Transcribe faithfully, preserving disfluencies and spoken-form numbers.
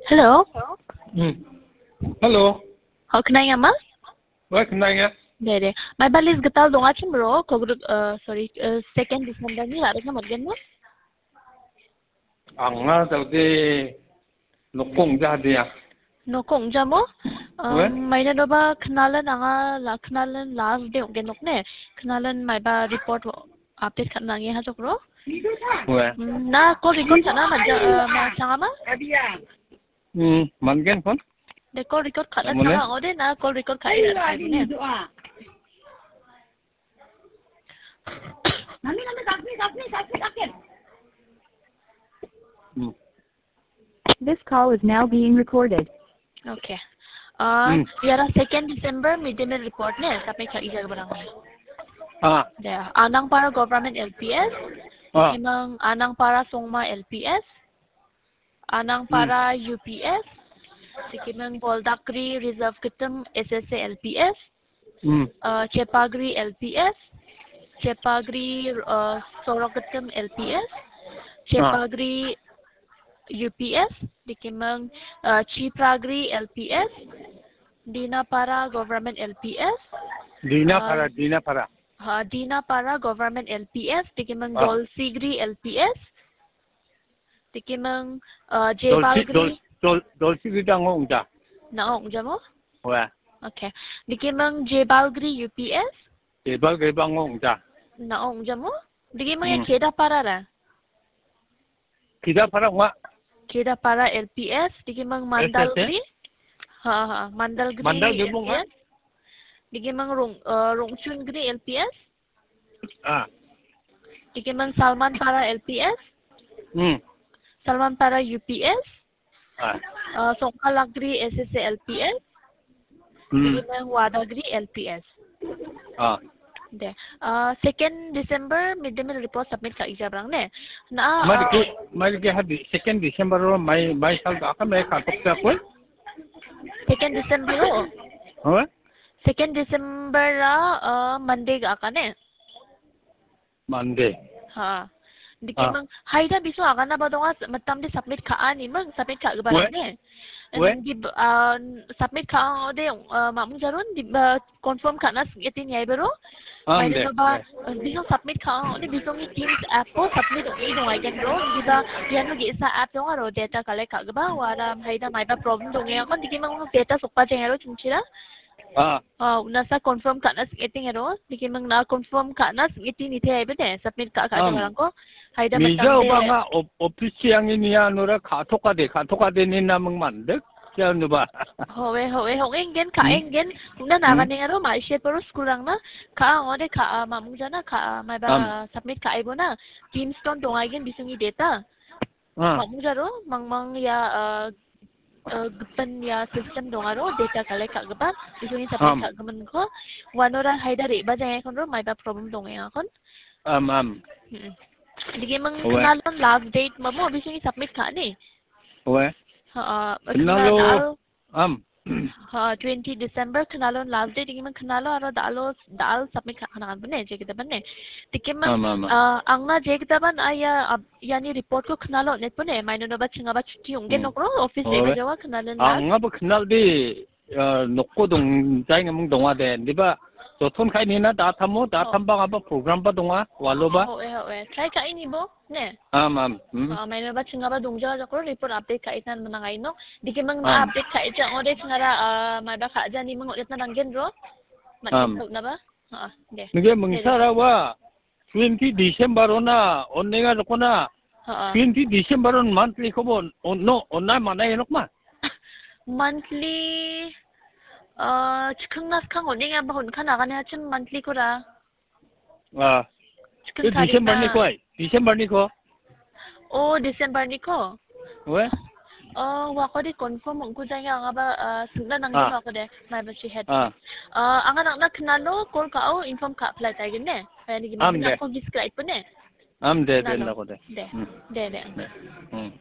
Hello. Hmm. Hello. Ho, knainga ma? Wa, knainga. De, de. Maiba list gital dongachim ro, kogru, eh, sorry, eh, second December ni ra·rikna man·gen ma? Anga jaude nokong jadia. Nokong jamo? Wa? Um, maina doba knalan anga la, knalan last day ong·gen nok ne. Knalan maiba report update ka·na nange ha jokro. Wa? Hmm, na call record ka·na ma ja, eh, ma changa ma? Hmm, man·gen kon? De call record ka·na changa ong·ode na call record ka·e ra·na ne. Hmm. This call is now being recorded. Okay. Uh, hmm. Iara second December midday meal report ne, tapi ka ija barang. Ah. Ya, Anangpara Government L P S, ah. Emang Anangpara Songma L P S, Anangpara hmm. U P S, Sikimang Boldakri Reserve Kitim S S A L P S, hmm. Uh, Chepagri L P S, Chepagri, uh, Sorok Kitim L P S, ah. Chepagri U P S, Dikimang, uh, Chipragri L P S, Dinapara Government L P S, Dinapara, uh, Dinapara. Ha, Dinapara Government L P S, Dikimang ah. Dolsigri L P S, Dikimang, uh, Dolsi-, Jebalgri. Dol-, Dol-, Dolsigri dango ongja. Na ongja mo? Wa. Okay. Dikimang Jebalgri U P S. Jebalgri bango ongja. Na ongja mo? Dikimang ya hmm. Kedapara ra. Kedapara wa. Kedapara L P S, dikimang S S A? Mandalgri. Ha, ha, Mandalgri Mandalgri L P S. Wa. Dikimang Rong-, uh, Rongchungri L P S. Ah. Dikimang Salmanpara L P S. Hmm. Salmanpara U P S. Ah. Uh, Songkalagri S S A L P S. Hmm. Dikimang Wadagri L P S. Ah. De. Uh, second December midday meal report submit ka ija barang ne. Na, mai uh, ke, mai ke hadi second December ro mai, mai sal ka mai ka tok sa koi. Second December ro. Huh? Second December ra, uh, Monday ga ka ne. Monday. Ha. Dikimang, ah. Haida biso agana ba donga, s-, matam de submit ka ani mang, submit ka gba ne. We? Di, ah, submit ka de, ah, mamung jaron, di, ah, confirm ka na sing etin yai bero. Ah, mai de, ba, de. Biso submit ka de, biso ni Teams app ko submit i donga ken ro. Di ba, iano ge sa app donga ro, data collect ka gba, wara, haida mai ba problem donga kon, dikimang data sokpa jeng ro, chungchira. Ah. Ah, unasa confirm ka·na sing·eting ero. Dikimang na confirm ka·na sing·eting ni te aibe de. Submit ka·, ka·, am, barangko. Haida mija matang de. Obanga op-, office yang ini ya nora ka·toka de, ka·toka de ni namang mandek. Siya nuba. Howe, howe, howe, enggen, ka, hmm, enggen. Una, hmm, naga neng ero, ma ishe poro school rang na. Ka, ngode ka, ah, mamung jana, ka, ah, maiba, am, submit ka, aibo na. Teams ton donga aigen bisungi data. Ah. Mamung jaro, mangmang ya, ah, eh, gipin ya system dongaro, data collect ka·gipa, bisingni submit, am, ka·giminko, uanora haida re·bajaengakonro, maiba problem dongengakon. Am, am. Mm-mm. Dikimang, owe, knalon last date mamo, bisingni submit ka·ani. Owe. Ha, ah, knalo, knal, am. Ha, twenty December knalon last date, dikimang knalo aro dalo, dal submit ka-, ka·na kan bene, jekita bene. Dikimang, am, am, am, ah, angna jekita ban aya, ab-, iani report ko knalo net pone, maino noba chingaba chuti onggen, hmm, nokro, office, owe, eba jawa knalen la. Anga ba knal de, ah, nokko dong, jai ngamung donga de. Diba, joton kai nina da tamo, da, oh, tamba ngaba program ba donga, walo ba. Oh, eh, oh, eh. Try kai ni bo, ne? Am, am. Hmm. Ah, maino ba chingaba dongja jakro report update kai tan menang aino. Dikimang na, am, update kai ja ode chingara, ah, maiba ka ja ni mung odet na danggen ro. Mat, am, na ba. Ha, de. Nige, de, de, mungsara wa. Twenty December ona, onenga dokona. Ha, ha. Twenty December on monthly kobo on-, onno, onna mana enok ma? Monthly, ah, chikang na skang onenga ba hon kan agane hachim monthly kora. Ah. Chikang, eh, tarik December na. Ni ko ai? December ni ko? Oh, December ni ko? We? Oh, wako de confirm ongku jaya anga ba, ah, singna nangni, ah, wako de, maiba si head. Ah. Ah, anga nangna knalo, call ka au, inform ka apply ta gine. Kaya ni gimana, am, de, ko gis kra ipo ne. Am de, de, knalo, nako de. De. Hmm. De, de. De. Hmm.